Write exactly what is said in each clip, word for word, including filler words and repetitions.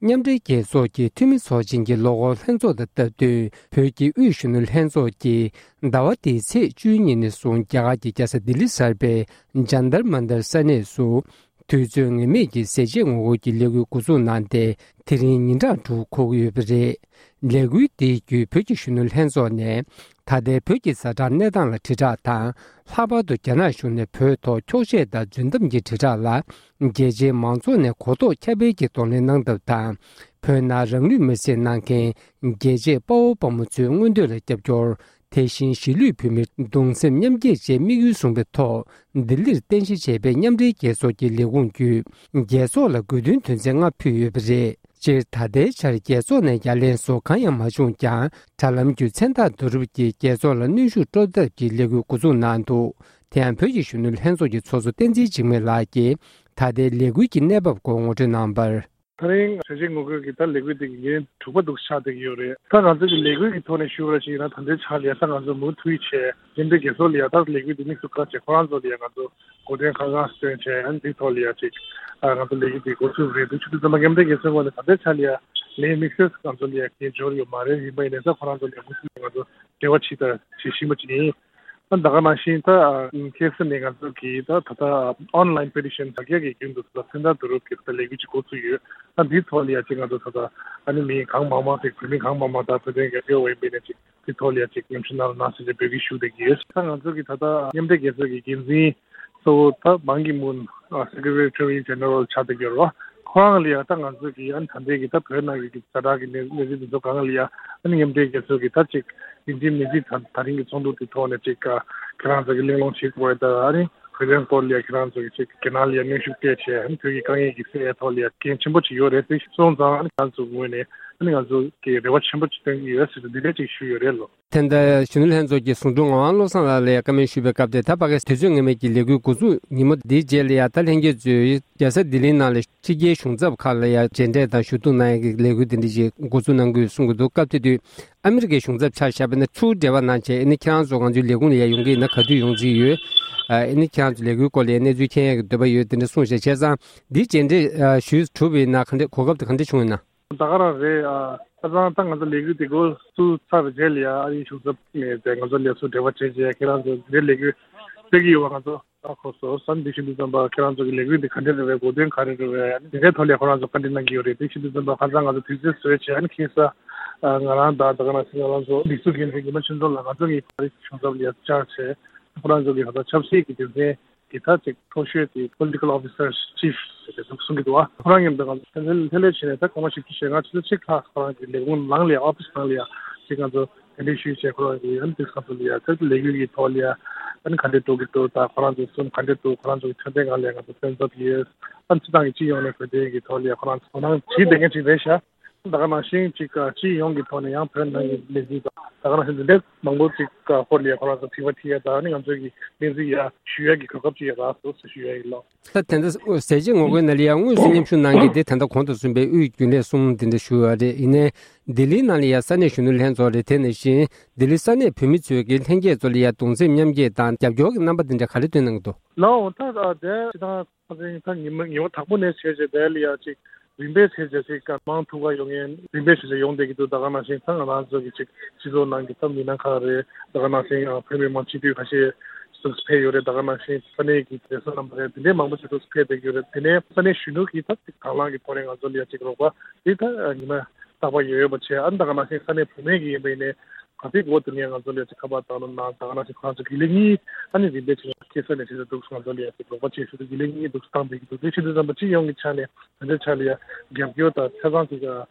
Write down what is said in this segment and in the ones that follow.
མཉམ་འབྲེལ་རྒྱལ་ཚོགས་ཀྱི་འཐུས་མི་ཚོགས་ཆེན་གྱི་ལོ་འཁོར་ལྷན་ཚོགས་དང་སྟབས་བསྟུན་བོད་ཀྱི་དབུས་གཞོན་ནུ་ལྷན་ཚོགས་ཀྱིས་ཟླ་བ་འདིའི་ཚེས་བཅུའི་ཉིན་ནས་བཟུང་རྒྱ་གར་གྱི་རྒྱལ་ས་ལྡི་ལི་གསར་པའི་ཇཱན་ཏར་མན་ཏར་ས་གནས་སུ་དུས་ཚོད་ངེས་མེད་ཀྱི་ཟས་བཅད་ངོ་རྒོལ་གྱི་ལས་འགུལ་འགོ་འཛུགས་གནང་སྟེ། དེ་རིང་ཉིན་གྲངས་དྲུག་འཁོར་གྱི་ཡོད་པ་རེད། ལས་འགུལ་འདི་བརྒྱུད་བོད་ཀྱི་གཞོན་ནུ་ལྷན་ཚོགས་ནས་ད་ལྟའི་བོད་ཀྱི་ཛ་དྲག་གནས་སྟངས་ལ་དྲིལ་བསྒྲགས་དང་། ལྷག་པར་དུ་རྒྱ་ནག་གཞུང་ནས་བོད་ཐོག་འཁྱོག་བཤད་དང་རྫུན་གཏམ་གྱི་དྲིལ་བསྒྲགས་ལ་རྒྱལ་སྤྱིའི་མང་ཚོགས་ནས་གོ་རྟོགས་ཁྱབ་སྤེལ་གྱིས་གདོང་ལེན་གནང་ཐབས་དང་། བོད་ནང་རང་ལུས་མེར་སྲེག་གནང་མཁན་རྒྱལ་གཅེས་དཔའ་བོ་དཔའ་མོ་ཚོའི་མངོན་འདོད་ལ་རྒྱབ་སྐྱོར། དེ་བཞིན་གཞིས་ལུས་བོད་མིར་གདུང་སེམས་མཉམ་སྐྱེད་བཅས་དམིགས་ཡུལ་བཟུང་བའི་ཐོག་ལྡི་ལིར་རྟེན་གཞི་བྱས་པའི་མཉམ་འབྲེལ་རྒྱལ་ཚོགས་ཀྱི་ལས་ཁུངས་བརྒྱུད་རྒྱལ་ཚོགས་ལ་དགོས་འདུན་དོན་ཚན་ལྔ་ཕུལ་ཡོད་པ་རེད། སྤྱིར་ད་ལྟའི་ཆར་རྒྱལ་ཚོགས་ནས་ཡ་ལན་བཟོ་གང་ཡང་མ་བྱུང་ཀྱང་། དྲ་ལམ་བརྒྱུད་མཚན་རྟགས་བསྡུ་རུབ་ཀྱིས་རྒྱལ་ཚོགས་ལ་གནོན་ཤུགས་སྤྲོད་ཐབས་ཀྱི་ལས་འགུལ་འགོ་འཛུགས་གནང་འདུག་དེ་ཡང་བོད་ཀྱི་གཞོན་ནུ་ལྷན་ཚོགས་ཀྱི་ཚོགས་གཙོ་བསྟན་འཛིན་འཇིགས་མེད་ལགས་ཀྱིས་ད་ལྟའི་ལས་འགུལ་གྱི་གནས་བབ་སྐོར་ངོ་སྤྲོད་གནང་བར། ད་རིང་ཟས་བཅད་ངོ་རྒོལ་གྱི་ད་ལས་འགུལ་དེ་གི་ཉིན་དྲུག་པ་འདུག་ཆགས་བསྡད་ཀྱི་ཡོད་རེད། ད་ང་ཚོ་གི་ལས་འགུལ་གྱི་ཐོག་ནས་ཞུ་བ་ཞིག་ཡིན་ན། ད་ལྟའི་ཆར་ལ་ཡ་ད་ང་ཚོ་མུ་མཐུད་བྱས་མཉམ་འབྲེལ་རྒྱལ་ཚོགས་ལ་ཡ་ད་ལས་འགུལ་དེ་དམིགས་སུ་བཀར་བྱས་ཁོ་རང་ཚོ་ལ་ཡ་ང་ཚོ་གོ་དོན་གང་གང་སྟོན་བྱས། ཨ་ནི་དེའི་ཐོག་ལ་ཡ་ཅིག་ཨ་ང་ཚོ་ལས་འགུལ་དེ་འགོ་ཚུགས་རེད་འདུག་ཆུ་ཚོད་ཙམ་པ་མཉམ་འབྲེལ་རྒྱལ་ཚོགས་ངོས་ནས་ད་ལྟའི་ཆར་ལ་ཡ་ལས་དམིགས་བསལ་ང་ཚོ་ལ་ཡ་གལ་འབྱོར་ཡོད་མ་རེད། ཡིན་པ་ཡིན་ནའི་ད་ཁོ་རང་ཚོ་ལ་ཡ་མུ་མཐུད་ང་ཚོ་འབྲེལ་བ་བྱེད་ད་བྱེད་བཞིན་པ་ཅིག་ཡིན། ད་ག་ནང་བཞིན་ད་ཁ་སང་ནས་ང་ཚོ་གིས་ད་ད་ལྟ་ཨོན་ལན་པེ་ཊི་ཤན་དྲ་རྒྱ་གི་བརྒྱུད་དུ་ད་མཚན་རྟགས་བསྡུ་རུབ་ཀྱི་ད་ལས་འགུལ་ཅིག་འགོ་ཚུགས་ཡོད། ད་འདིའི་ཐོག་ལ་ཡ་ཅིག་ང་ཚོ་ད་ལྟ་ཨ་ནི་མི་གང་མང་མང་ཅིག་བོད་མི་གང་མང་མང་དང་བོད་དོན་རྒྱབ་སྐྱོར་བ་ཡིན་པ་ཡིན་ན་ཅིག་དེའི་ཐོག་ལ་ཡ་ཅིག་མཉམ་ཞུགས་གནང་རོགས་གནང་ཟེར་ཏེ་འབོད་སྐུལ་ཞུ་བསྡད་ཀྱི་ཡོད། ད་ང་ཚོ་གི་ད་ལྟ་མཉམ་འབྲེལ་རྒྱལ་ཚོགས་ཀྱི་འགན་འཛིན་གཙོ་བོ་ད་བན་ཀི་མུན་སེ་ཀེ་རེ་ཊ་རི་ཇེ་ནེ་རལ་ཆགས་བསྡད་ཀྱི་ཡོད་རེད་བ། ཁོ་རང་ལ་ཡ་ད་ང་ཚོ་གི་ཨ་ནི་ད་ལྟའི་གི་ད་བོད་ནང་གི་ཛ་དྲག་གི་གནས་གནས་ཚུལ་འདི་ཚོ་སྒང་ལ་ཡ་ཨ་ནི་མཉམ་འབྲེལ་རྒྱལ་ཚོགས་ཀྱི་ད་ཅིག་ཡིན་གཅིག་མིན་གཅིག་ད་ད་རིང་གི་ཚོགས་འདུ་དེ་ཐོག་ནས་ཅིག་ཁྱེད་རང་ཚོ་གི་གླེང་སློང་བྱེད་དགོས་ད། ཨ་ནི་བོད་དོན་སྐོར་ལ་ཡ་ཁྱེད་རང་ཚོ་གི་ཅིག་རྒྱ་ནག་ལ་ཡ་གནོན་ཤུགས་སྤྲད་བྱས་ཨ་ནི་བོད་ཀྱི་དཀའ་ངལ་གྱི་སེལ་ཡ་ཐོག་ལ་ཡ་འགན་ཆེན་པོ་ཅིག་ཡོད་རེད། དེ་སོང་ཙང་ཨ་ནི་ང་ཚོ་ངོས་ནས་ཨ་ནི་ང་ཚོ་གི་རེ་བ་ཆེན་པོ་ཅིག་བཏོན་གྱི་ཡོད་ཟེར་ཏེ་འདི་འདྲ་ཅིག་ཞུས་ཡོད་རེད་ལོ། དེ་འདྲ་གཞོན་ནུ་ལྷན་ཚོགས་ཀྱི་ཟུང་དྲུང་ངག་དབང་བློ་བཟང་ལགས་ལ་ཡ་བཀའ་མོལ་ཞུས་པའི་སྐབས་དེ། ད་ཕ་གི་དུས་ཚོད་ངེས་མེད་ཀྱི་ལས་འགུལ་འགོ་འཛུགས་ཉིན་མོ་འདིའི་རྗེས་ལ་ཡ་ད་ལྷན་རྒྱས་ཚོས་རྒྱལ་ས་ལྡི་ལིའི་ནང་ལ་ཕྱི་རྒྱལ་གཞུང་ཚབ་ཁག་ལ་ཡ་མཇལ་འཕྲད་དང་ཞུ་གཏུག་གནང་ཡ་གི་ལས་འགུལ་དེ་འདྲ་ཞིག་འགོ་འཛུགས་གནང་དགོས་གསུང་གི་འདུག་སྐབས་དེ་དུས་ཨ་མི་རི་ཀའི་གཞུང་ཚབ་ཆ་བཞག་པ་ཡིན་ན་ཕྱུག་འབྲེལ་བ་གནང་བྱས། ཨ་ནི་ཁྱེད་རང་ཚོ་ང་ཚོའི་ལས་ཁུངས་ལ་ཡ་ཡོང་གི་ཡིན་ན་ག་དུས་ཡོང་རྩིས་ཡོད། ཨ་ནི་ཁྱེད་རང་ཚོ་ལས་འགུལ་སྐོར་ལ་ཡ་གནས་ཚུལ་མཁྱེན་ཡ་གི་འདོད་པ་ཡོད། དེ་འདྲ་གསུངས་བྱས། བྱས་ཙང་འདིའི་མཇལ་འཕྲད་ཞུས་གྲུབ་པ་ཡིན་ན་ག་འདྲ་གོ་སྐབས་དེ་ག་འདྲ་བྱུང་ཡོད་ན། ད་ག་རང་རེད། ཨ་ཁ་སང་ད་ང་ཚོ་ལས་འགུལ་དེ་འགོ་བཙུགས་ཚར་རྗེས་ལ་ཡ་ཨ་རིའི་གཞུང་ཚབ་ནས་དེ་ང་ཚོ་ལས་ཚོགས་འབྲེལ་བ་བྱས་རྗེས་ཁྱེད་རང་ཚོ་འདིར་ལས་འགུལ་སྤེལ་གྱི་ཡོད་པ་ང་ཚོ་ཧ་གོ་སོང་། ཨ་ནི་དེ་བཞིན་དུ་ཙམ་པ་ཁྱེད་རང་ཚོ་གི་ལས་འགུལ་འདི་ག་འདྲ་རེད་པས། གོ་དོན་ག་རེ་རེད་པས། ཨ་ནི་དེ་འདྲའི་ཐོག་ལ་ཁོ་རང་ཚོ་བཀའ་འདྲི་གནང་གི་ཡོད་རེད། དེ་བཞིན་དུ་ཙམ་པ་ཁ་སང་ང་ཚོ་དུས་ཚོད་བཟོས་བྱས་ཨ་ནི་ཁ་སང་ང་རང་དང་ད་ག་ནང་བཞིན་ང་རང་ཚོ་སྒྲིག་འཛུགས་འགན་འཛིན་ཉི་མ་ཆོས་འཛོམས་ལགས་ང་ཚོ་གི་ཨ་རིའི་གཞུང་ཚབ་ལ་ཡ་བཅར་བྱས་ཁོ་རང་ཚོ་གི་ད་ལྟ་ཆབ་སྲིད་ཀྱི་དོན་ཚན་གི་ད་ཅིག་མཐོ་ཤོས་དེ་Political Officer Chief ཟེར་ཏེ་གསུང་གི་འདུག་ཨ། ཁོ་རང་ངས་འདི་ག་ལྷན་ལྷན་ལྷན་ལས་བྱས་ནས་ད་སྐར་མ་བཞི་བཅུ་ཞེ་ལྔ་ཆུ་ཚོད་གཅིག་ལྷག་ཁོ་རང་གི་ལས་ཁུངས་ནང་ལ་ཡ་ཨོ་ཕི་སི་ནང་ལ་ཡ་ཅིག་ང་ཚོ་གདན་འདྲེན་ཞུས་བྱས་ཁོ་རང་གི་ཨ་ནི་དུས་སྐབས་སུ་ལ་ཡ་ད་ལས་འགུལ་གྱི་ཐོག་ལ་ཡ་ཨ་ནི་ག་འདྲས་འགྲོ་གི་འདུག་ད་ཁོ་རང་ཚོ་གསུམ་ག་འདྲས་འདུག་ཁོ་རང་ཚོ་གི་འཕྲོད་བསྟེན་སྒང་ལ་ཡ་ང་ཚོ་སེམས་འཚབ་ཡོད། ཨ་ནི་སྤྱི་བཏང་གི་སྤྱི་ཡོངས་ནས་བོད་དོན་གྱི་ཐོག་ལ་ཡ་ཁོ་རང་ཚོ་དོ་སྣང་བྱེད་བསྡད་མཁན་ཅིག་རེད་ཤག་ད་ག་ནང་བཞིན་ཅིག་སྤྱི་ཡོངས་ཀྱི་ཐོག་ནས་ཡང་བོད་ནང་གི་གནས་ཚུལ་དང་ད་ག་ནང་བཞིན་འདི་འདྲའི་མང་པོ་ཅིག་སྐོར་ལ་ཡ་ཁོ་རང་ཚོ་དྲི་བ་དྲི་ཡ་དང་ཨ་ནི་ང་ཚོ་གི་གནས་ཚུལ་ཡ་ཞུ་ཡ་གི་གོ་སྐབས་ཅིག་ཡ་རག་སོང་ཟེར་ཞུ་ཡ་ཡིན་ལགས། ད་དེ་འདྲ་ཟས་བཅད་ངོ་རྒོལ་ནང་ལ་ཡང་དངོས་སུ་མཉམ་ཞུགས་གནང་མཁན་དེ་ད་ལྟ་གོང་དུ་གསུངས་པའི་དབུས་རྒྱུན་ལས་གསུམ་དེ་འདྲ་ཞུ་བ་རེད། ཡིན་ནའི་ལྡི་ལིའི་ནང་ལ་ཡང་ས་གནས་གཞོན་ནུ་ལྷན་ཚོགས་རེད། དེ་ནང་བཞིན་ལྡི་ལི་ས་གནས་བོད་མི་ཚོས་ཀྱི་ལྷན་རྒྱས་ཚོ་ལ་ཡང་གདུང་སེམས་མཉམ་སྐྱེད་དང་རྒྱབ་སྐྱོར་གྱི་རྣམ་པ་དེ་འདྲ་ག་རེ་སྟོན་གནང་གི་འདུག་ལགས། ད་དེ་ཅི་ད་ཁ་སང་ད་ཉི་མ་ཉི་མ་དང་པོ་ནས་བྱས་རྗེས་དེ་ལ་ཡང་ཅིག་རིམ་པས་བྱས་རྗེས་ཅིག་ག་མང་ཐུག་ག་ཡོང་མཁན་རིམ་པས་བྱས་རྗེས་ཡོང་བསྡད་ཀྱི་འདུག་ད་ག་ནང་བཞིན་ད་ང་རང་ཚོ་གི་ཅིག་སྤྱི་ཚོགས་ནང་གི་ད་མི་སྣ་ཁག་རེད། ད་ག་ནང་བཞིན་ཡང་བོད་མི་མང་སྤྱི་འཐུས་ཁ་ཤས་ཚུགས་ཕེབས་ཡོད་རེད། ད་ག་ནང་བཞིན་ས་གནས་ཀྱི་བགྲེས་སོང་རྣམ་པ་རེད། དེ་འདྲའི་མང་པོ་ཞིག་ཚུགས་ཕེབས་བསྡད་ཀྱི་ཡོད་རེད། དེ་ནས་ས་གནས་གཞོན་ནུ་གིས་ད་ཅིག་དང་བླངས་ཀྱི་ཐོག་ནས་ང་ཚོ་ལ་ཡ་ཅིག་རོགས་པ་དེ་ད་ཉི་མ་རྟག་པར་ཡོད་ཡོད་པ་བྱས། ཨ་ནི་ད་ག་ནང་བཞིན་ས་གནས་བུད་མེད་ཀྱི་ཡིན་པ་ཡིན་ནའི་ག་ཚོད་འགོར་དེ་ནས་ང་ཚོ་ལ་ཡ་ཅིག་ཁ་པར་བཏང་རོགས་གནང་། ད་ག་ནང་བཞིན་ཁོ་རང་ཚོ་དགེ་ལས་གཉིས་ཨ་ནི་རིམ་པས་བྱས་ནས་ཁ་སང་ནས་བྱས་ཏེ་འདུག་ང་ཚོ་ལ་ཡ་ཅིག་རོགས་པ་བྱེད་ཤུགས་དགེ་ལས་གཉིས་འདུག་བཏང་བསྡད་ཀྱི་འདུག་དེ་བྱེད་དུས་ཙམ་པ་སྤྱི་ཡོངས་ཀྱི་ཆ་ནས་ང་ཚོའི་ཆ་ལ་ཡ་རྒྱབ་སྐྱོར་དང་ཆ་ཚང་ཅིག་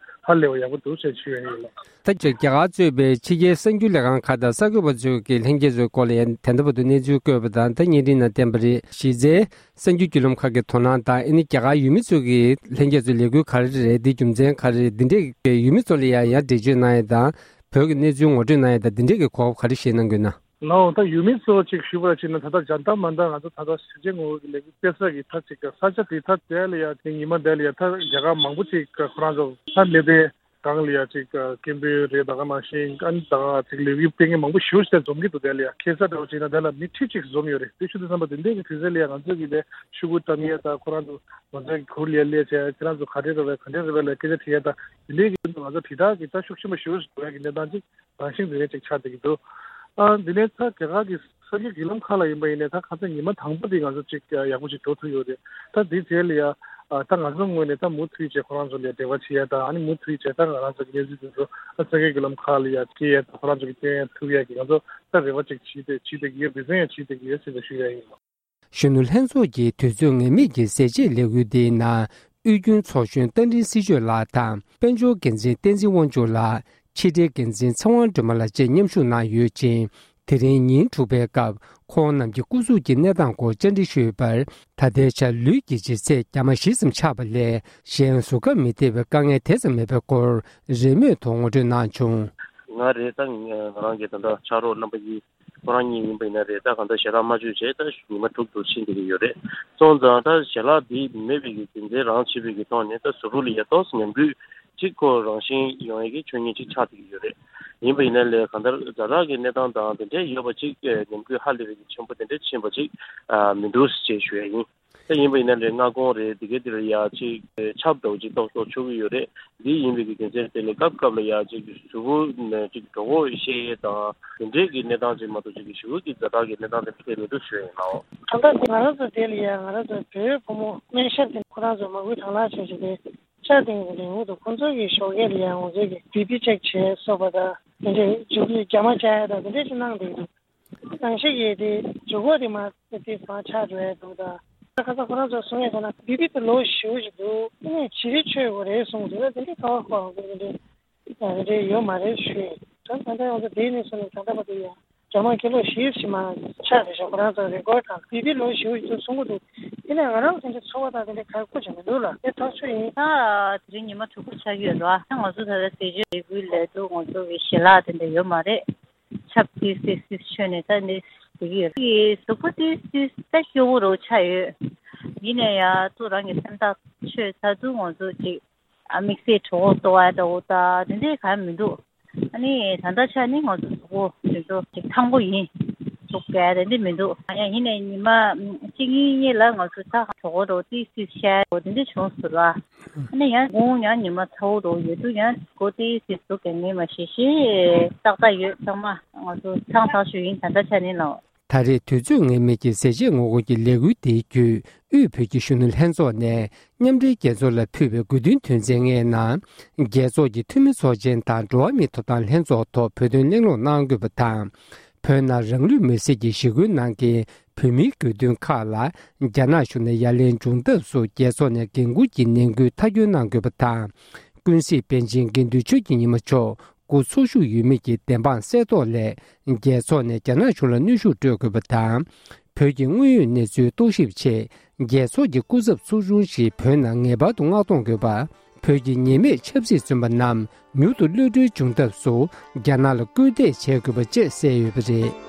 ཧ་ལས་པ་ཡག་པོ་འདུག་ཟེར་ཞུ་ཡ་ཡིན་ལགས། ད་ཆ་རྒྱ་གར་གཙོས་པའི་ཕྱི་རྒྱལ་གསར་འགྱུར་ལས་ཁང་ཁག་དང་གསར་འགོད་པ་ཚོས་ཀྱི་ལྷན་རྒྱས་ཚོའི་སྐོར་ལ་ཡང་ད་ལྟ་བར་དུ་གནས་ཚུལ་བཀོད་པ་དང་། ད་བརྙན་འཕྲིན་ནང་བསྟན་པ་རེད། གཞི་རྩའི་གསར་འགྱུར་བརྒྱུད་ལམ་ཁག་གི་དོ་སྣང་དང་། ཨ་ནི་རྒྱ་གར་ཡུལ་མི་ཚོས་ཀྱི་ལྷན་རྒྱས་ཚོའི་ལས་འགུལ་ག་རེ་རེད། འདི་རྒྱུ་མཚན་ག་རེ་རེད། འདི་འདྲས་ཀྱི་ཡུལ་མི་ཚོ་ལ་ཡང་ཡང་འགྲེལ་བརྗོད་གནང་ཡ་དང་། བོད་ཀྱི་གནས་ཚུལ་ངོ་སྤྲོད་གནང་ཡ་དང་། འདི་འདྲས་ཀྱི་གོ་སྐབས་ག་རེ་བཞེས་གནང་དགོས་ན། ལགས། ད་ཡུལ་མི་ཚོ་ཅིག་ཞུ་བར་ཕྱིན་ན་ད་ལྟ་ཇན་ཏར་མན་ཏར་ང་ཚོ་ད་ལྟ་ཟས་བཅད་ངོ་རྒོལ་གྱི་ལས་འགུལ་སྤེལ་ས་གི་ད་ཅིག་ས་ཆ་དེ་ད་དེ་ལ་ཡ་དེ་ཉི་མ་དེ་ལ་ཡ་ད་རྒྱ་གར་མང་པོ་ཅིག་ཁོ་རང་ཚོ་ད་ལས་དེ་ གང་ལ་ཡ་ཅིག་སྐད་འབོད་རེད། ད་ག་ནང་བཞིན་ཨ་ནི་ད་ག་ཅིག་ལས་འགུལ་སྤེལ་མཁན་མང་པོ་ཞེ་པོ་ཞིག་འཛོམས་ཀྱི་འདུག་དེ་ལ་ཡ་ཁ་སང་འདྲ་བོ་བྱས་ན་དེ་ལ་མི་ཁྲི་གཅིག་འཛོམས་ཡོད་རེད། དེ་ཞུ་དུས་ཙམ་པ་དེ་འདྲའི་གི་དུས་ཚོད་ལ་ཡ་ང་ཚོ་གི་དེ་ཤོག་གུ་བཀྲམ་ཡས་དང་ཁོ་རང་ཚོ་ང་ཚོའི་གུར་ལ་ཡ་སླེབས་བྱས་ཁྱེད་རང་ཚོ་ག་འདྲས་རེད་པས་ག་འདྲས་རེད་པས་ལ་སྐད་ཆ་དྲི་ཡས་དང་དེ་འདྲའི་གི་ང་ཚོ་དྲིལ་བསྒྲགས་ཀྱི་ད་ཤུགས་ཆེན་པོ་ཞེ་པོ་ཞིག་འགྲོ་ཡ་གི་གནས་སྟངས་ཅིག་རང་བཞིན་དེ་འདྲ་ཅིག་ཆགས་བསྡད་ཀྱི་འདུག་ཨ། འདི་ནས་ད་རྒྱ་གར་གྱི་ས་དགེ་བརྒྱུད་ལམ་ཁག་ལ་ཡིན་པ་ཡིན་ནའི་ད་ཁ་སང་ཉི་མ་དང་པོ་དེ་ང་ཚོ་ཅིག་ཡག་པོ་ཅིག་འགྲོ་ཐུབ་ཡོད་རེད། ད་འདི་རྗེས་ལ་ཡ་ཨ། ད་ང་ཚོ་ངོས་ནས་ད་མུ་མཐུད་བྱས་ཁོ་རང་ཚོ་ལ་འབྲེལ་བ་བྱེད་ཡ་ད་ཨ་ནི་མུ་མཐུད་བྱས་ད་ང་རང་ཚོ་གི་གནས་ཚུལ་དེ་ཚོ་ཨ། ས་དགེ་བརྒྱུད་ལམ་ཁག་ལ་ཡ་སྐྱེལ་ཡ་ད་ཁོ་རང་ཚོ་གི་སྐྱོན་ཡ་ཐུབ་ཡ་གི་ང་ཚོ་ད་རེ་བ་ཅིག་བྱེད་དེ་བྱེད་དེ་གི་ཡོད། འབད་བརྩོན་ཡང་བྱེད་དེ་གི་ཡོད་ཟེར་ནས་ཞུ་ཡ་ཡིན། གཞོན་ནུ་ལྷན་ཚོགས་ཀྱི་དུས་ཚོད་ངེས་མེད་ཀྱི་ཟས་བཅད་ལས་འགུལ་འདིའི་ནང་། དབུས་རྒྱུན་ཚོགས་གཞོན་རྟ་མགྲིན་སྲིད་གཅོད་ལགས་དང་དཔལ་འབྱོར་འགན་འཛིན་བསྟན་འཛིན་དབང་ཕྱུག་ལགས། ཕྱི་དྲིལ་འགན་འཛིན་ཚེ་དབང་སྒྲོལ་མ་ལགས་བཅས་མཉམ་ཞུགས་གནང་ཡོད་ཅིང་། དེ་རིང་ཉིན་དྲུག་པའི་སྐབས་ཁོང་རྣམས་ཀྱི་སྐུ་གཟུགས་ཀྱི་གནས་སྟངས་སྐོར་བཅར་འདྲི་ཞུས་པར། ད་ལྟའི་ཆར་ལུས་ཀྱི་ལྗིད་ཚད་རྒྱ་མ་བཞི་ཙམ་ཆག་པ་ལས་གཞན་གཟུགས་ཁམས་མི་བདེ་བའི་དཀའ་ངལ་དེ་ཙམ་མེད་པའི་སྐོར་རེས་མོས་ཐོག་ངོ་སྤྲོད་གནང་བྱུང་། ང་རེད་ད། ང་རང་གི་ད་ལྟ་ཕྱག་རོགས་རྣམ་པ་གཉིས། ཁོ་རང་གཉིས་ཡིན་པ་ཡིན་ན་རེད། ད་གང་ལྟར་ཞལ་ལག་མ་མཆོད་བྱས་ད་ཉི་མ་དྲུག་ཏུ་ཕྱིན་བསྡད་ཀྱི་ཡོད་རེད། སོང་ཙང་ད་ཞལ་ལག་འདི་མེད་པའི་གི་རྒྱུ་མཚན་རང་བྱས་པའི་གི་ཐོག་ནས་ད་གཟུགས་པོ་ལ་ཡ་ཏོག་ཙམ་ཉམས་རྒུད་ཅིག་ཁོ་རང་བཞིན་ཡོང་ཡས་ཀྱི་ཆོས་ཉིད་ཅིག་ཆགས་བསྡད་ཀྱི་ཡོད་རེད། ཡིན་པ་ཡིན་ན་ལས་གང་ལྟར་ཛ་དྲག་གི་གནས་སྟངས་དང་དེ་འདྲའི་ཡོད་པ་ཅིག་ཉམས་རྒུད་ཧ་ལས་པའི་གི་ཆེན་པོ་དེ་འདྲ་ཕྱིན་པ་ཅིག་མི་འདུག་ཅེས་ཞུ་ཡས་ཡིན། ད་ཡིན་པ་ཡིན་ན་ལས་སྔ་དགོང་རེད། འདི་གའི་འདིར་ཡ་ཅིག་ཆབ་འདྲ་བོ་ཅིག་ཏོག་ཏོག་ཆོད་ཀྱི་ཡོད་རེད། འདི་ཡིན་པའི་གི་རྒྱུ་མཚན་དེ་ལས་སྐབས་སྐབས་ལ་ཡ་ཅིག་གཟུགས་པོ་ནས་ཅིག་གྲོད་ཁོག་བཤལ་ཡས་དང་དེ་འདྲའི་གི་གནས་སྟངས་ཅིག་མ་གཏོགས་ཅིག་གི་ཞེ་པོ་གི་ཛ་དྲག་གི་གནས་སྟངས་དེ་འདྲ་མི་འདུག་ཞུ་ཡིན་ནའོ། ད་ལྟ་ང་རང་ཚོ་དེ་ལ་ཡ་ང་རང་ཚོ་བོད་བུ་མོ་སྨན་ཞབས་དེ་ཁོ་རང་ཚོ་མ་བུ་དང་ལ་ཆོས་ཅིག་དེ་ཆ་དེང་གི་རིང་འུ་ཐུག་ཁོང་ཚོ་གི་ཞོགས་ཀས་ལ་ཡ་ང་ཚོ་གི་བི་པི་ཅེག་བྱས་སོགས་པ་དང་དེ་འདྲའི་མཇུག་གི་རྒྱ་མ་བཅག་ཡ་དང་དེ་འདྲའི་ཅིག་གནང་བསྡད་འདུག་གང་ཞིག་ཡོད་དེ་ཇུ་གོ་དེ་མ་དེ་མ་ཆགས་འགྲོ་ཡ་འདུག་ད་ཁ་ས་ཁོ་རང་ཚོ་གསུང་ཡ་ཟེར་ན་བི་པི་དེ་ལོ་ཞེ་པོ་ཞིག་འདུག་དེ་ནས་བྱི་རིལ་མཆོད་དགོས་རེད་གསུངས་འདུག་དེ་འདྲའི་ཁ་བ་ཁོ་རང་ཚོ་དེ་འདྲའི་དེ་འདྲའི་ཡོད་མ་རེད་ཞུས། ད་ད་ལྟ་ང་ཚོ་དེ་ནས་བཟུང་ནས་ད་ལྟ་བར་དུ་ཡ་ཇ་མ་ཁི་ལོ་བཞི་བཞི་མ་ཆགས་རེད་ཤག་ཁོ་རང་ཚོ་རེ་ཀོར་དང་བི་པི་ལོ་ཞེ་པོ་ཞིག་འདུག་གསུང་གི་འདུག་དེ་ནས་ང་རང་ཚོ་འདྲ་ཚོར་བ་དང་དེ་འདྲའི་ག་རེ་ཁུར་ཅིག་མི་འདུག་ལ་དེ་ཐག་ཆོད་ཡིན། ད་དེ་རིང་ཉི་མ་དྲུག་པ་ཆགས་ཀྱི་ཡོད་རེད་བ། ད་ང་ཚོ་ད་ལྟ་ཟས་བཅད་ལས་འགུལ་ལས་དུ་ང་ཚོ་གི་ཞལ་ལག་དེ་འདྲ་ཡོད་མ་རེད། ཆབ་ཏིག་སིག་སིག་མཆོད་ནས་ད་ནི་བསྡད་ཀྱི་ཡོད། ཡི་གཟུགས་པོ་ཏིག་སིག་ད་སྐྱོ་བོ་རུ་ཆགས་ཡོད། ཡིན་ནའི་ཡ་ཏུ་རང་གི་སེམས་ཐག་ཆོད་ཚར་དུས་ང་ཚོ་ཅིག་ཨ་དམིགས་བསལ་གྲོད་ཁོག་ལྟོགས་ཡ་འདྲ་བོ་ད་དེ་འདྲའི་གང་མི་འདུག་ཨ་ནི་ད་ལྟ་ཆ་ནི་ང་ཚོ་གཟུགས་པོ་དེ་ཚོ་ཅིག་ཐང་པོ་ཡིན། འདུག་གས་དེ་འདྲ་མི་འདུག་ཡ་ཡིན་ནའི་ཉི་མ་གཅིག་གཉིས་གཉིས་ལ་ང་ཚོ་ད་གྲོད་ཁོག་འདྲ་བོ་ཏིག་སིག་ཤར་འདྲ་བོ་དེ་འདྲ་བྱུང་སོང་ལ། ཨ་ནི་ཡང་དགོང་ཡང་ཉི་མ་ཚ་བོ་འདྲ་བོ་ཡོད་དུས་ཡང་གཟུགས་པོ་ཏིག་སིག་འདུག་གས་ངས་མ་ཤེས་ཤེས་ཏག་ཏག་ཡོད། ཚང་མ་ང་ཚོ་ཚང་ཐག་ཆོད་ཡིན་ད་ལྟ་ཆ་ནས་ལ། ད་རེས་དུས་ཚོད་ངེས་མེད་ཀྱི་ཟས་བཅད་ངོ་རྒོལ་གྱི་ལས་འགུལ་འདིའི་བརྒྱུད་དབུས་བོད་ཀྱི་གཞོན་ནུ་ལྷན་ཚོགས་ནས་མཉམ་འབྲེལ་རྒྱལ་ཚོགས་ལ་ཕུལ་བའི་དགོས་འདུན་དོན་ཚན་ལྔའི་ནང་། རྒྱལ་ཚོགས་ཀྱི་འཐུས་མི་ཚོགས་ཆེན་དང་འགྲོ་བ་མིའི་ཐོབ་ཐང་ལྷན་ཚོགས་ཐོག་བོད་དོན་གླེང་སློང་གནང་དགོས་པ་དང་། བོད་ནང་རང་ལུས་མེར་སྲེག་གི་ཞི་རྒོལ་གནང་མཁན་བོད་མིའི་དགོས་འདུན་ཁག་ལ་རྒྱ་ནག་གཞུང་ནས་ཡ་ལན་འབྱུང་ཐབས་སུ་རྒྱལ་ཚོགས་ནས་འགན་འཁུར་གྱི་ནན་སྐུལ་མཐའ་འཁྱོལ་གནང་དགོས་པ་དང་། ཀུན་གཟིགས་པཎ་ཆེན་དགེ་འདུན་ཆོས་ཀྱི་ཉི་མ་མཆོག་སྐུ་འཚོ་བཞུགས་ཡོད་མེད་ཀྱི་བདེན་དཔང་གསལ་རྟོགས་སླད། རྒྱལ་ཚོགས་ནས་རྒྱ་ནག་གཞུང་ལ་གནོན་ཤུགས་སྤྲོད་དགོས་པ་དང་། བོད་ཀྱི་དངོས་ཡོད་གནས་ཚུལ་རྟོག་ཞིབ་ཆེད། རྒྱལ་ཚོགས་ཀྱི་སྐུ་ཚབ་ཚོགས་ཆུང་ཞིག་བོད་ནང་ངེས་པར་དུ་མངགས་གཏོང་དགོས་པ། བོད་ཀྱི་ཉེས་མེད་ཆབ་སྲིད་བཙོན་པ་རྣམས་མྱུར་དུ་གློད་གྲོལ་འབྱུང་ཐབས་སུ། རྒྱ་ནག་ལ་སྐུལ་འདེད་བྱེད་དགོས་པ་བཅས་གསལ་ཡོད་པ་རེད།